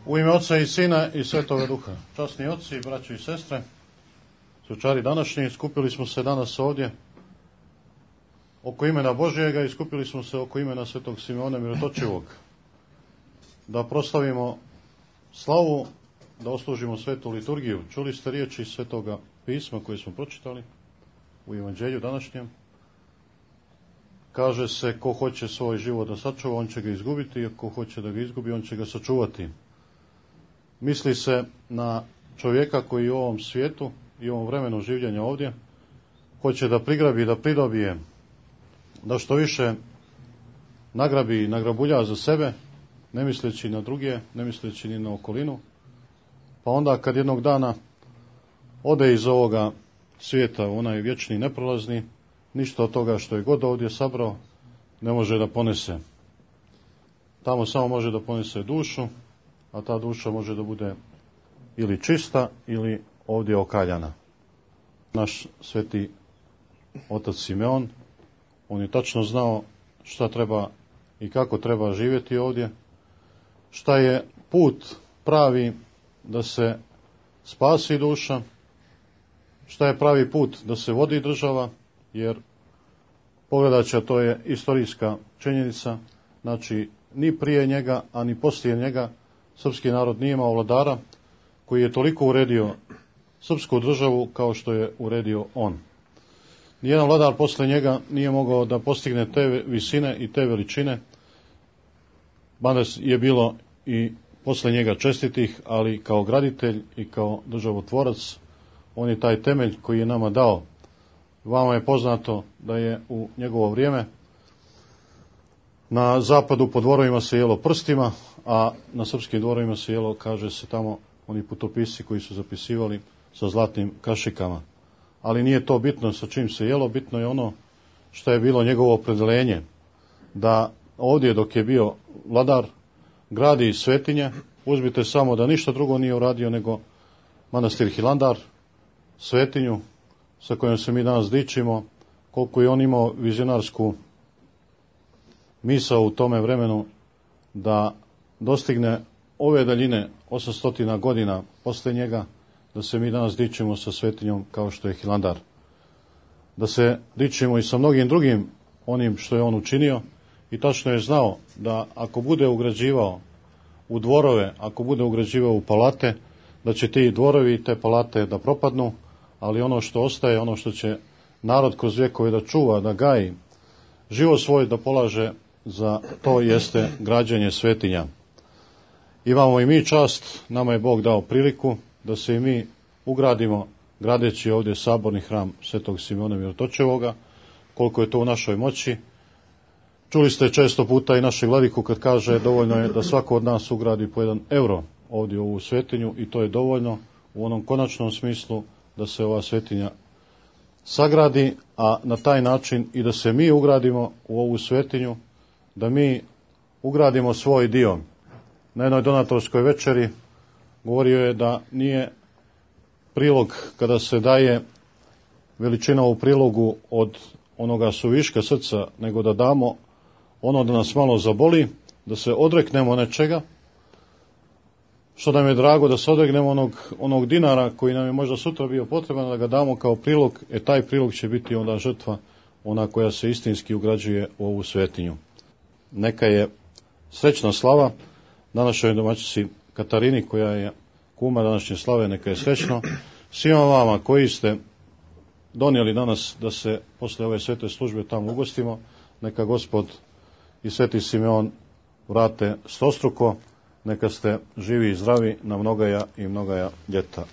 U ime Oca i Sina i Svetoga Duha. Časni oci, braćo i sestre, svečari današnji, skupili smo se danas ovdje oko imena Božjega i skupili smo se oko imena Svetog Simeona Mirotočivog. Da proslavimo slavu, da oslužimo svetu liturgiju. Čuli ste riječi Svetoga pisma koje smo pročitali u evanđelju današnjem. Kaže se, ko hoće svoj život da sačuva, on će ga izgubiti, a ko hoće da ga izgubi, on će ga sačuvati. Misli se na čovjeka koji u ovom svijetu i u ovom vremenu življenja ovdje hoće da prigrabi, da pridobije, da što više nagrabi i nagrabulja za sebe, ne misleći na druge, ne misleći ni na okolinu. Pa onda kad jednog dana ode iz ovoga svijeta u onaj vječni neprolazni, ništa od toga što je god ovdje sabrao ne može da ponese. Tamo samo može da ponese dušu, a ta duša može da bude ili čista ili ovdje okaljana. Naš sveti otac Simeon, on je tačno znao šta treba i kako treba živjeti ovdje, šta je put pravi da se spasi duša, šta je pravi put da se vodi država, jer pogledaće, to je istorijska činjenica, znači ni prije njega, a ni poslije njega srpski narod nije imao vladara koji je toliko uredio srpsku državu kao što je uredio on. Nijedan vladar posle njega nije mogao da postigne te visine i te veličine, mada je bilo i posle njega čestitih, ali kao graditelj i kao državotvorac, on je taj temelj koji je nama dao. Vama je poznato da je u njegovo vrijeme na zapadu po dvorovima se jelo prstima, a na srpskim dvorovima se jelo, kaže se tamo, oni putopisci koji su zapisivali sa zlatnim kašikama. Ali nije to bitno sa čim se jelo, bitno je ono što je bilo njegovo opredeljenje, da ovdje dok je bio vladar gradi svetinje. Uzmite samo da ništa drugo nije uradio nego manastir Hilandar, svetinju sa kojom se mi danas dičimo, koliko je on imao vizionarsku misao u tome vremenu da dostigne ove daljine 800 godina posle njega, da se mi danas dičimo sa svetinjom kao što je Hilandar. Da se dičimo i sa mnogim drugim onim što je on učinio, i tačno je znao da ako bude ugrađivao u dvorove, ako bude ugrađivao u palate, da će ti dvorovi i te palate da propadnu, ali ono što ostaje, ono što će narod kroz vjekove da čuva, da gaji, život svoj da polaže za to, jeste građenje svetinja. Imamo i mi čast, nama je Bog dao priliku da se i mi ugradimo gradeći ovdje saborni hram Svetog Simeona Mirotočevoga, koliko je to u našoj moći. Čuli ste često puta i našeg vladiku kad kaže dovoljno je da svako od nas ugradi po 1 euro ovdje u ovu svetinju, i to je dovoljno u onom konačnom smislu da se ova svetinja sagradi, a na taj način i da se mi ugradimo u ovu svetinju, da mi ugradimo svoj dio. Na jednoj donatorskoj večeri govorio je da nije prilog kada se daje veličina u prilogu od onoga suviška srca, nego da damo ono da nas malo zaboli, da se odreknemo nečega, što nam je drago, da se odreknemo onog dinara koji nam je možda sutra bio potreban, da ga damo kao prilog, taj prilog će biti onda žrtva, ona koja se istinski ugrađuje u ovu svetinju. Neka je srećna slava današnjoj domaćici Katarini, koja je kuma današnje slave, neka je srećno. Svima vama koji ste donijeli danas da se posle ove svete službe tamo ugostimo, neka Gospod i Sveti Simeon vrate stostruko, neka ste živi i zdravi na mnogaja i mnogaja ljeta.